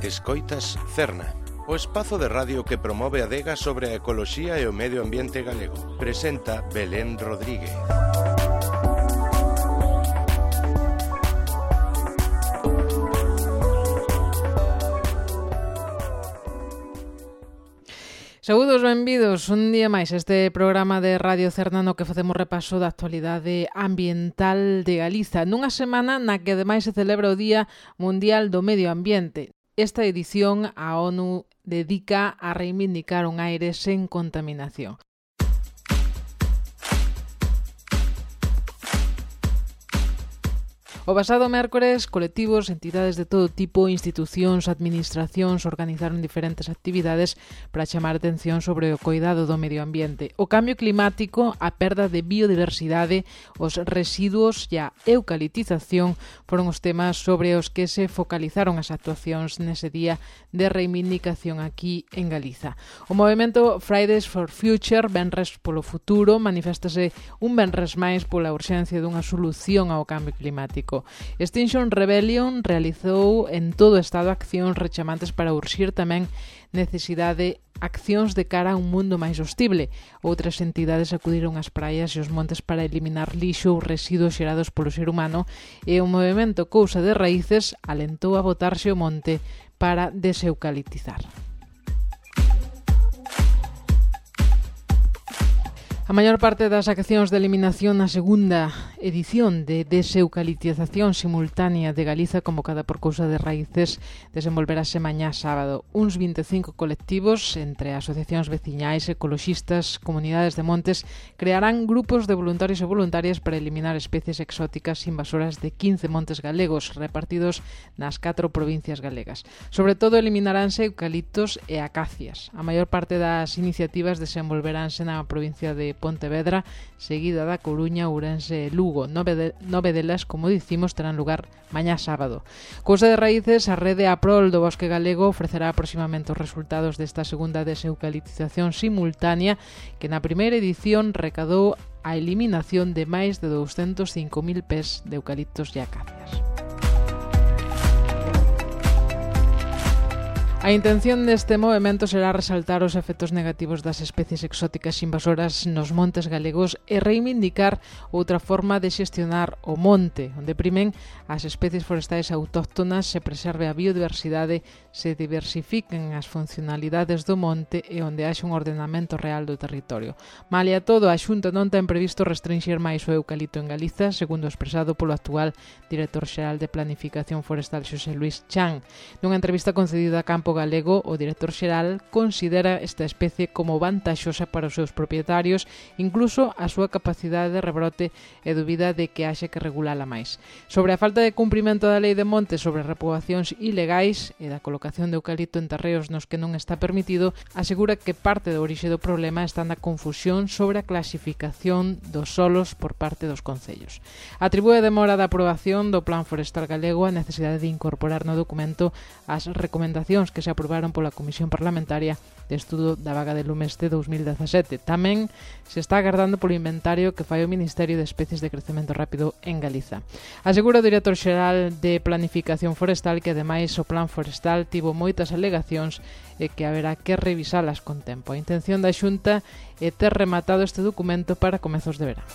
Escoitas Cerna, o espazo de radio que promove a adega sobre a ecoloxía e o medio ambiente galego. Presenta Belén Rodríguez. Saúdos, benvidos un día máis a este programa de Radio Cerna no que facemos repaso da actualidade ambiental de Galiza nunha semana na que ademais se celebra o Día Mundial do Medio Ambiente. Esta edición a ONU dedica a reivindicar un aire sen contaminación. O pasado mércores, colectivos, entidades de todo tipo, institucións, administracións organizaron diferentes actividades para chamar atención sobre o coidado do medio ambiente, o cambio climático, a perda de biodiversidade, os residuos e a eucaliptización foron os temas sobre os que se focalizaron as actuacións nese día de reivindicación aquí en Galiza. O movemento Fridays for Future, Venres polo Futuro, maniféstase un venres máis pola urxencia dunha solución ao cambio climático. Extinction Rebellion realizou en todo o Estado accións rechamantes para urxir tamén necesidade accións de cara a un mundo máis hostible. Outras entidades acudiron ás praias e os montes para eliminar lixo ou residuos xerados polo ser humano e o movemento Cousa de Raíces alentou a botarse o monte para deseucaliptizar. A maior parte das accións de eliminación na segunda edición de deseucaliptización simultánea de Galiza convocada por Cousa de Raíces desenvolverase mañá sábado. Uns 25 colectivos, entre asociacións veciñais, ecoloxistas, comunidades de montes, crearán grupos de voluntarios e voluntarias para eliminar especies exóticas invasoras de 15 montes galegos repartidos nas 4 provincias galegas. Sobre todo eliminaránse eucaliptos e acacias. A maior parte das iniciativas desenvolveránse na provincia de Pontevedra, seguida da Coruña, Ourense e Lugo. 9 delas, como dicimos, terán lugar mañá sábado. Cousa de Raíces, a rede a prol do bosque galego, ofrecerá aproximamente os resultados desta segunda deseucaliptización simultánea que na primeira edición recadou a eliminación de máis de 205.000 pés de eucaliptos e acacias. A intención deste movemento será resaltar os efectos negativos das especies exóticas invasoras nos montes galegos e reivindicar outra forma de xestionar o monte, onde primen as especies forestais autóctonas, se preserve a biodiversidade, se diversifiquen as funcionalidades do monte e onde haxe un ordenamento real do territorio. Malia todo, a Xunta non ten previsto restringir máis o eucalipto en Galiza, segundo expresado polo actual director xeral de Planificación Forestal Xosé Luís Chan. Nunha entrevista concedida a Campo Galego, o director xeral considera esta especie como vantaxosa para os seus propietarios, incluso a súa capacidade de rebrote e dúbida de que haxe que regulala máis. Sobre a falta de cumprimento da lei de montes sobre repoboacións ilegais e da colocación de eucalipto en terreos nos que non está permitido, asegura que parte do orixe do problema está na confusión sobre a clasificación dos solos por parte dos concellos. Atribúe a demora da aprobación do Plan Forestal Galego a necesidade de incorporar no documento as recomendacións que se aprobaron pola Comisión Parlamentaria de Estudo da Vaga de Lumes de 2017. Tamén se está agardando polo inventario que fai o Ministerio de Especies de Crecemento Rápido en Galiza. Asegura o director xeral de Planificación Forestal que ademais o Plan Forestal tivo moitas alegacións e que haberá que revisalas con tempo. A intención da Xunta é ter rematado este documento para comezos de verán.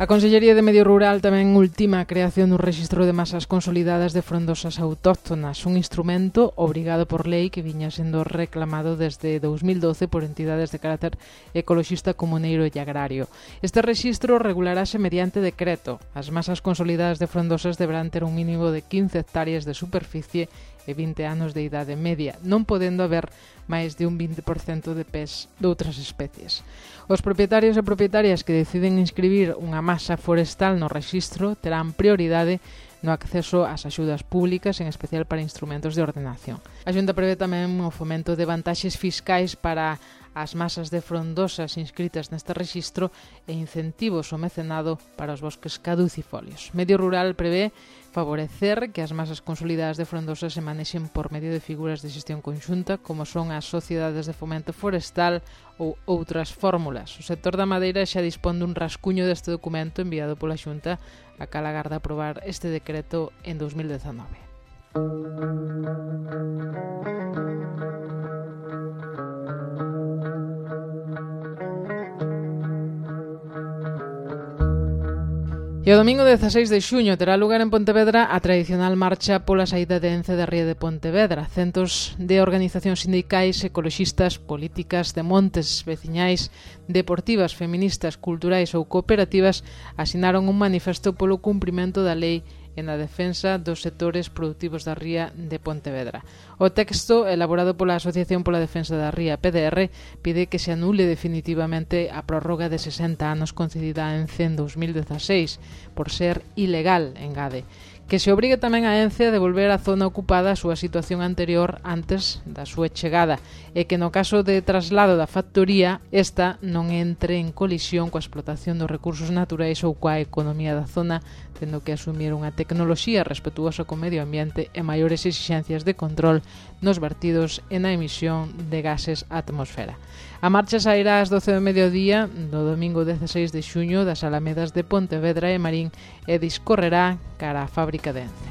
A Consellería de Medio Rural tamén ultima a creación dun rexistro de masas consolidadas de frondosas autóctonas, un instrumento obrigado por lei que viña sendo reclamado desde 2012 por entidades de carácter ecoloxista, comuneiro e agrario. Este rexistro regularase mediante decreto. As masas consolidadas de frondosas deberán ter un mínimo de 15 hectáreas de superficie e 20 anos de idade media, non podendo haber máis de un 20% de pés de outras especies. Os propietarios e propietarias que deciden inscribir unha masa forestal no rexistro terán prioridade no acceso ás axudas públicas, en especial para instrumentos de ordenación. A Xunta prevé tamén o fomento de vantaxes fiscais para as masas de frondosas inscritas neste rexistro e incentivos ao mecenado para os bosques caducifolios. Medio Rural prevé favorecer que as masas consolidadas de frondosas se manexen por medio de figuras de xestión conxunta como son as sociedades de fomento forestal ou outras fórmulas. O sector da madeira xa dispón dun rascuño deste documento enviado pola Xunta a cal agarda aprobar este decreto en 2019. E o domingo 16 de xuño terá lugar en Pontevedra a tradicional marcha pola saída de Ence da ría de Pontevedra. Centos de organizacións sindicais, ecoloxistas, políticas, de montes, veciñais, deportivas, feministas, culturais ou cooperativas asinaron un manifesto polo cumprimento da lei e na defensa dos sectores produtivos da ría de Pontevedra. O texto, elaborado pola Asociación pola Defensa da Ría, PDR, pide que se anule definitivamente a prórroga de 60 anos concedida a Ence en 2016, por ser ilegal, engade. Que se obrigue tamén a Ence a devolver a zona ocupada a súa situación anterior antes da súa chegada e que no caso de traslado da factoría esta non entre en colisión coa explotación dos recursos naturais ou coa economía da zona, tendo que asumir unha tecnoloxía respetuosa co medio ambiente e maiores exixencias de control nos vertidos e na emisión de gases á atmosfera. A marcha sairá ás 12 do mediodía do domingo 16 de xuño das Alamedas de Pontevedra e Marín e discorrerá cara á fábrica de Ence.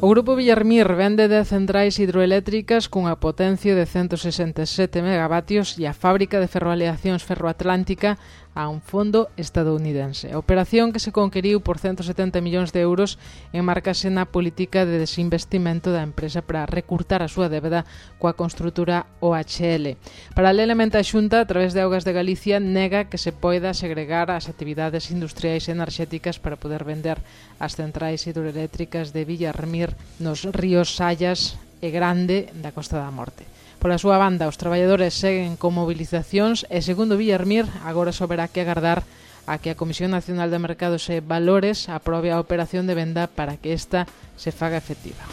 O Grupo Villarmir vende 10 centrais hidroeléctricas cunha potencia de 167 megavatios e a fábrica de ferroaleacións Ferroatlántica a un fondo estadounidense. A operación, que se conqueriu por 170 millóns de euros, enmarcase na política de desinvestimento da empresa para recurtar a súa débeda coa construtora OHL. Paralelamente, a Xunta, a través de Augas de Galicia, nega que se poida segregar as actividades industriais e enerxéticas para poder vender as centrais hidroeléctricas de Villarmir nos ríos Sallas e Grande da Costa da Morte. Pola súa banda, os traballadores seguen con movilizacións e, segundo Villarmir, agora soberá que agardar a que a Comisión Nacional de Mercados e Valores aprobe a operación de venda para que esta se faga efectiva.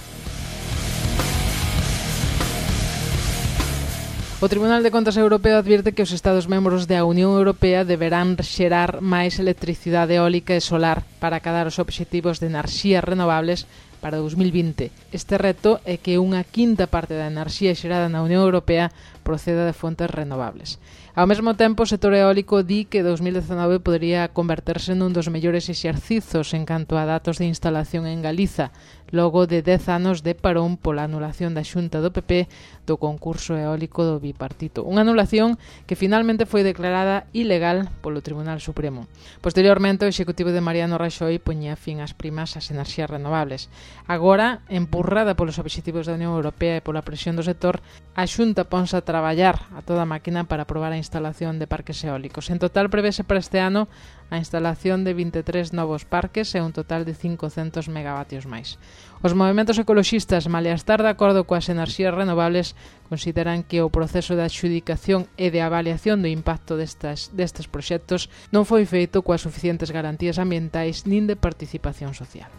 O Tribunal de Contas Europeo advirte que os Estados membros da Unión Europea deberán xerar máis electricidade eólica e solar para acadar os obxectivos de enerxías renovables para 2020. Este reto é que unha quinta parte da enerxía xerada na Unión Europea proceda de fontes renovables. Ao mesmo tempo, o sector eólico di que 2019 podería converterse nun dos mellores exercizos en canto a datos de instalación en Galiza, logo de 10 anos de parón pola anulación da Xunta do PP do concurso eólico do bipartito. Unha anulación que finalmente foi declarada ilegal polo Tribunal Supremo. Posteriormente, o Executivo de Mariano Raxoi poñía fin ás primas ás enerxías renovables. Agora, empurrada polos obxectivos da Unión Europea e pola presión do sector, a Xunta ponse a traballar a toda máquina para aprobar a instalación de parques eólicos. En total, prevese para este ano a instalación de 23 novos parques e un total de 500 megavatios máis. Os movementos ecoloxistas, malia estar de acordo coas enerxías renovables, consideran que o proceso de adxudicación e de avaliación do impacto destes proxectos non foi feito coas suficientes garantías ambientais nin de participación social.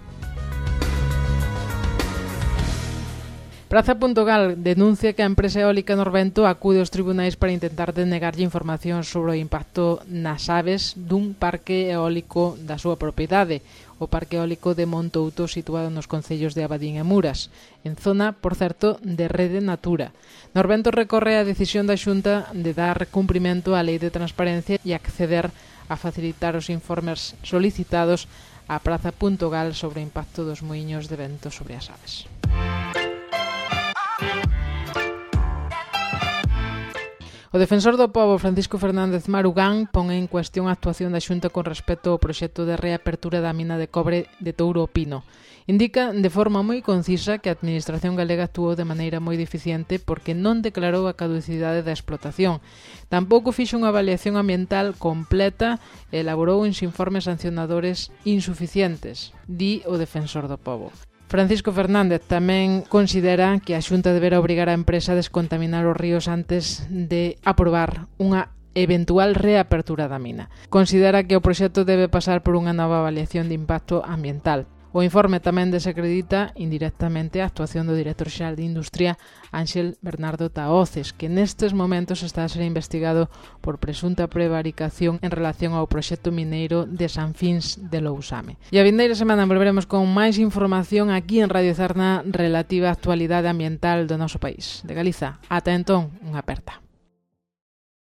Praza.gal denuncia que a empresa eólica Norvento acude aos tribunais para intentar denegarlle información sobre o impacto nas aves dun parque eólico da súa propiedade, o parque eólico de Montouto, situado nos concellos de Abadín e Muras, en zona, por certo, de Rede Natura. Norvento recorre a decisión da Xunta de dar cumprimento á Lei de Transparencia e acceder a facilitar os informes solicitados a Praza.gal sobre o impacto dos muiños de vento sobre as aves. O defensor do pobo, Francisco Fernández Marugán, pon en cuestión a actuación da Xunta con respecto ao proxecto de reapertura da mina de cobre de Touro Pino. Indica de forma moi concisa que a Administración galega actuou de maneira moi deficiente porque non declarou a caducidade da explotación. Tampouco fixo unha avaliación ambiental completa e elaborou uns informes sancionadores insuficientes, di o defensor do pobo. Francisco Fernández tamén considera que a Xunta deberá obrigar a empresa a descontaminar os ríos antes de aprobar unha eventual reapertura da mina. Considera que o proxecto debe pasar por unha nova avaliación de impacto ambiental. O informe tamén desacredita indirectamente a actuación do director xeral de Industria, Ángel Bernardo Tahoces, que nestes momentos está a ser investigado por presunta prevaricación en relación ao proxecto mineiro de Sanfins de Lousame. E a vindeira semana volveremos con máis información aquí en Radio Zarna relativa á actualidade ambiental do noso país. De Galiza, ata entón, unha aperta.